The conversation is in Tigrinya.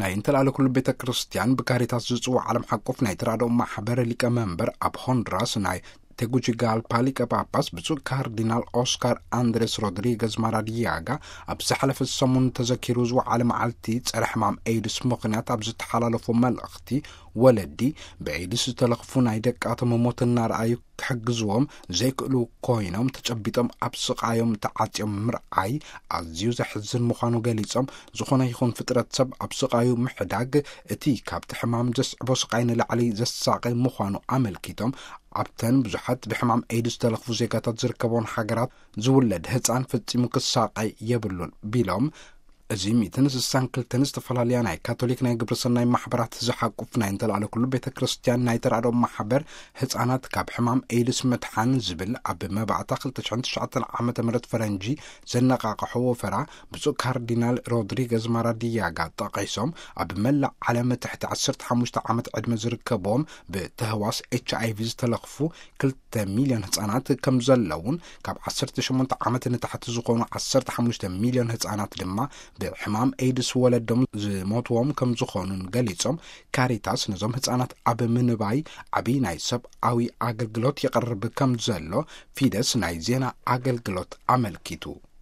ናይ እንተላለ ኩሉ ቤተ ክርስቲያን ብካሪታስ ዝጽዋዕ ዓለም ሓቆፍ ናይ ተራድኦ ማሕበር ሊቀ መንበር ኣብ ሆንድራስ ናይ ቴጉቺጋልፓ ሊቀ ጳጳስ ብፁዕ ካርዲናል ኦስካር ኣንድሬስ ሮድሪገዝ ማራዲያጋ፣ ኣብ ዝሓለፈ ሰሙን ተዘኪሩ ዝወዓለ መዓልቲ ጸረ ሕማም ኤድስ ምኽንያት ኣብ ዝተሓላለፉ መልእኽቲ፣ ወለዲ ብኤድስ ዝተለኽፉ ናይ ደቃቶም ሞት እናረኣዩ ክሕግዝዎም ዘይክእሉ ኮይኖም፣ ተጨቢጦም ኣብ ስቓዮም ተዓጽዮም ምርኣይ ኣዝዩ ዘሕዝን ምዃኑ ገሊጾም፣ ዝኾነ ይኹን ፍጥረት ሰብ ኣብ ስቓዩ ምሕዳግ እቲ ካብቲ ሕማም ዘስዕቦ ስቓይ ንላዕሊ ዘሳቒ ምዃኑ ኣመልኪቶም፣ ኣብተን ብዙሓት ብሕማም ኤድስ ዝተለኽፉ ዜጋታት ዝርከቦን ሃገራት ዝውለድ ህጻን ፈጺሙ ክሳቐይ የብሉን ቢሎም፣ እዚ ሚእትን ስሳን ክልተን ዝተፈላለያ ናይ ካቶሊክ ናይ ግብረ ሰናይ ማሕበራት ዝሓቁፍ ናይ እንተላለ ኩሉ ቤተ ክርስቲያን ናይ ተራድኦ ማሕበር ህጻናት ካብ ሕማም ኤድስ ምድሓን ዝብል ኣብ መባእታ ክልተ ሽሕን ትሽዓተን ዓመተ ምህረት ፈረንጂ ዘነቓቕሖ ወፈራ ብፁዕ ካርዲናል ሮድሪገዝ ማራዲያጋ ጠቒሶም፣ ኣብ መላእ ዓለም ትሕቲ ዓሰርተ ሓሙሽተ ዓመት ዕድመ ዝርከብዎም ብተህዋስ ኤች ኣይ ቪ ዝተለኽፉ ክልተ ሚልዮን ህጻናት ከም ዘለውን፣ ካብ ዓሰርተ ሸሞንተ ዓመት ንታሕቲ ዝኾኑ ዓሰርተ ሓሙሽተ ሚልዮን ህጻናት ድማ ብሕማም ኤድስ ወለዶም ዝሞትዎም ከም ዝኾኑን ገሊጾም፣ ካሪታስ ነዞም ህጻናት ኣብ ምንባይ ዓቢ ናይ ሰብኣዊ ኣገልግሎት የቕርብ ከም ዘሎ ፊደስ ናይ ዜና ኣገልግሎት ኣመልኪቱ።